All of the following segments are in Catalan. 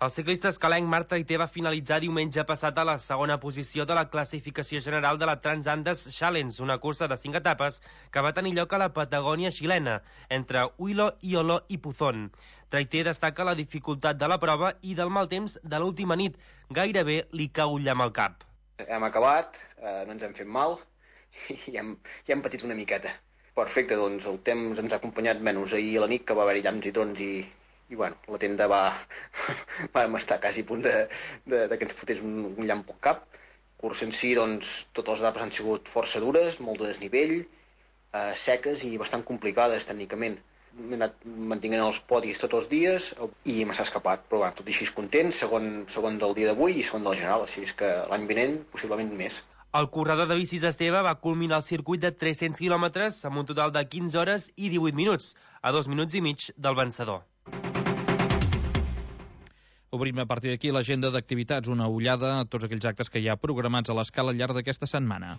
El ciclista escalenc Marc Traité va finalitzar diumenge passat a la segona posició de la classificació general de la Transandes Challenge, una cursa de 5 etapes que va tenir lloc a la Patagònia xilena, entre Huilo, Iolo i Puzón. Traité destaca la dificultat de la prova i del mal temps de l'última nit. Gairebé li cau un llamp al cap. Hem acabat, no ens hem fet mal i hem patit una miqueta. Perfecte, doncs el temps ens ha acompanyat menys ahir a la nit, que va haver-hi llamps i trons i bueno, la tenda vam estar quasi a punt de que ens fotés un llamp al cap. Cursa en si, doncs, totes les etapes han sigut força dures, molt de desnivell, seques i bastant complicades tècnicament. M'he anat mantenint els podis tots els dies i me s'ha escapat, però bueno, tot i així content, segon del dia d'avui i segon del general, així és que l'any vinent possiblement més. El corredor de bicis Esteve va culminar el circuit de 300 quilòmetres amb un total de 15 hores i 18 minuts, a 2 minuts i mig del vencedor. Obrim a partir d'aquí l'agenda d'activitats, una ullada a tots aquells actes que hi ha programats a l'Escala al llarg d'aquesta setmana.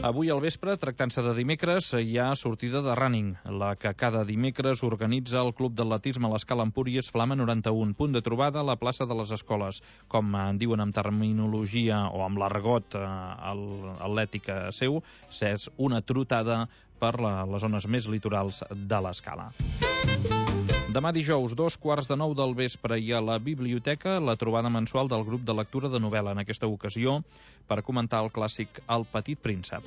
Avui al vespre, tractant-se de dimecres, hi ha sortida de running, la que cada dimecres organitza el Club d'Atletisme a l'Escala Empúries Flama 91, punt de trobada a la plaça de les Escoles. Com en diuen amb terminologia o amb l'argot atlètica seu, és una trotada per les zones més litorals de l'Escala. Demà dijous, 8:45 del vespre, hi ha a la biblioteca la trobada mensual del grup de lectura de novel·la, en aquesta ocasió per comentar el clàssic El petit príncep.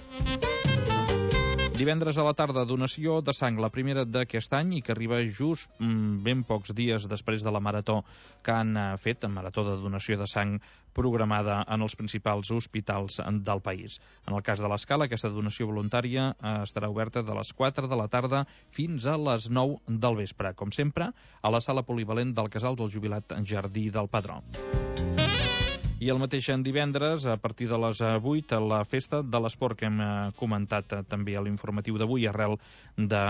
Divendres a la tarda, donació de sang, la primera d'aquest any i que arriba just ben pocs dies després de la marató que han fet, marató de donació de sang programada en els principals hospitals del país. En el cas de l'Escala, aquesta donació voluntària estarà oberta de les 4 de la tarda fins a les 9 del vespre, com sempre, a la sala polivalent del Casal del Jubilat Jardí del Padró. I el mateix divendres, a partir de les 8, la festa de l'esport que hem comentat també a l'informatiu d'avui, arrel de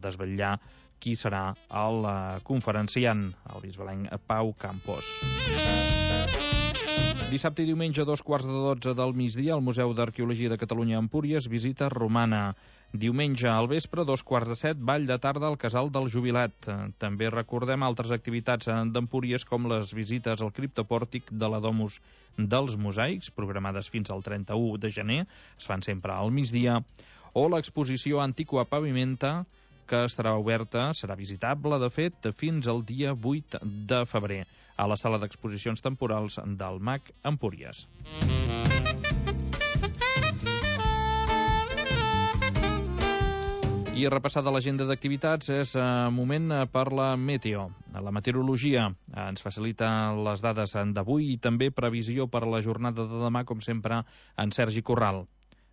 desvetllar qui serà el conferenciant, el bisbalenc Pau Campos. Dissabte i diumenge, 12:15 del migdia, al Museu d'Arqueologia de Catalunya a Empúries, visita romana. Diumenge al vespre, 6:45, ball de tarda al Casal del Jubilat. També recordem altres activitats d'Empúries, com les visites al criptopòrtic de la Domus dels Mosaics, programades fins al 31 de gener, es fan sempre al migdia, o l'exposició Antiqua Pavimenta, que estarà oberta, serà visitable, de fet, fins al dia 8 de febrer, a la sala d'exposicions temporals del MAC Empúries. I repassada l'agenda d'activitats és moment per la meteo. La meteorologia ens facilita les dades d'avui i també previsió per a la jornada de demà, com sempre, en Sergi Corral.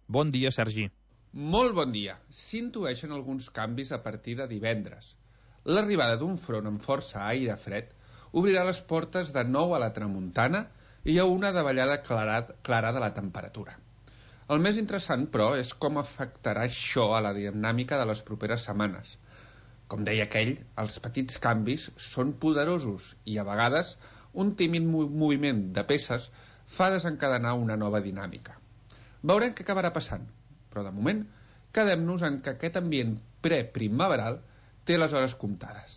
Bon dia, Sergi. Molt bon dia. S'intueixen alguns canvis a partir de divendres. L'arribada d'un front amb força aire fred obrirà les portes de nou a la tramuntana i hi ha una davallada clara de la temperatura. El més interessant, però, és com afectarà això a la dinàmica de les properes setmanes. Com deia aquell, els petits canvis són poderosos i, a vegades, un tímid moviment de peces fa desencadenar una nova dinàmica. Veurem què acabarà passant, però de moment quedem-nos en que aquest ambient preprimaveral té les hores comptades.